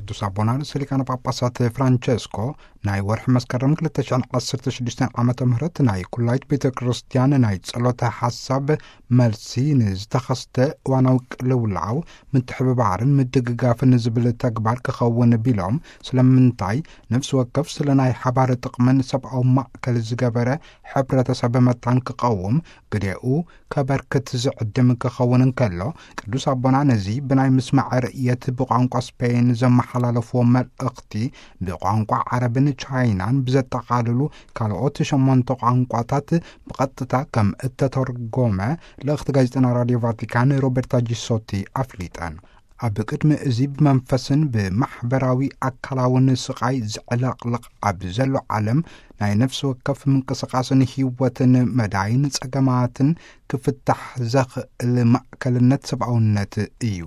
ቅዱስ ኣቦና ርእሰ ሊቃነ ጳጳሳት ፍራንቸስኮ ናይ ወርሒ መስከረም ክልተ ሽሕን ዓሰርተ ሽዱሽተን ዓመተ ምህረት ናይ ኩላይት ቤተ ክርስቲያን ናይ ጸሎተ ሓሳብ መልሲ ንዝተኸስተ እዋናዊ ቅልውላው ምትሕብባርን ምድግጋፍን ዝብል ተግባር ክኸውን ቢሎም፣ ስለምንታይ ነፍሲ ወከፍ ስለ ናይ ሓባር ጥቕምን ሰብኣዊ ማእከል ዝገበረ ሕብረተሰብ መታን ክቐውም ግዴኡ ከበርክት ዝዕድም ክኸውን እንከሎ፣ ቅዱስ ኣቦና ነዚ ብናይ ምስማዕ ርእየት ብቋንቋ ስፔን ዘመሓላለፍዎ መልእኽቲ ብቋንቋ ዓረብን ቻይናን ብዘጠቓልሉ ካልኦት ሸሞንተ ቋንቋታት ብቐጥታ ከም እተተርጎመ ልእኽቲ ጋዜጠና ራድዮ ቫቲካን ሮበርታ ጂሶቲ ኣፍሊጠን። ኣብ ቅድሚ እዚ ብመንፈስን ብማሕበራዊ ኣካላውን ስቓይ ዝዕለቕልቕ ኣብ ዘሎ ዓለም ናይ ነፍሲ ወከፍ ምንቅስቓስን ህይወትን መዳይን ጸገማትን ክፍታሕ ዘኽእል ማእከልነት ሰብኣውነት እዩ።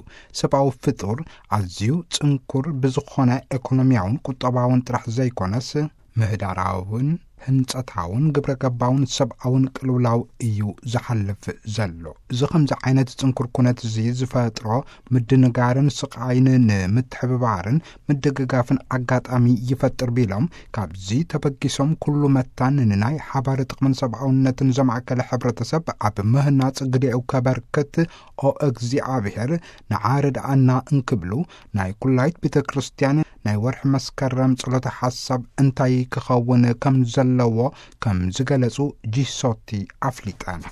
ሰብኣዊ ፍጡር ኣዝዩ ጽንኩር ብዝኾነ ኤኮኖሚያውን ቁጠባውን ጥራሕ ዘይኮነስ ምህዳራውን ህንጸታውን ግብረ ገባውን ሰብኣውን ቅልውላው እዩ ዝሓልፍ ዘሎ። እዚ ከምዚ ዓይነት ጽንኩር ኩነት እዚ ዝፈጥሮ ምድንጋርን ስቓይን ንምትሕብባርን ምድግጋፍን ኣጋጣሚ ይፈጥር ቢሎም፣ ካብዚ ተበጊሶም ኩሉ መታን ንናይ ሓባር ጥቕምን ሰብኣውነትን ዘማእከለ ሕብረተሰብ ኣብ ምህናጽ ግዴኡ ከበርክት ኦ እግዚኣብሔር ንዓ ርድኣና እንክብሉ ናይ ኩላይት ቤተ ክርስቲያን ናይ ወርሒ መስከረም ጸሎተ ሓሳብ እንታይ ክኸውን ከም ዘለዎ ከም ዝገለጹ ጂሶቲ ኣፍሊጠን።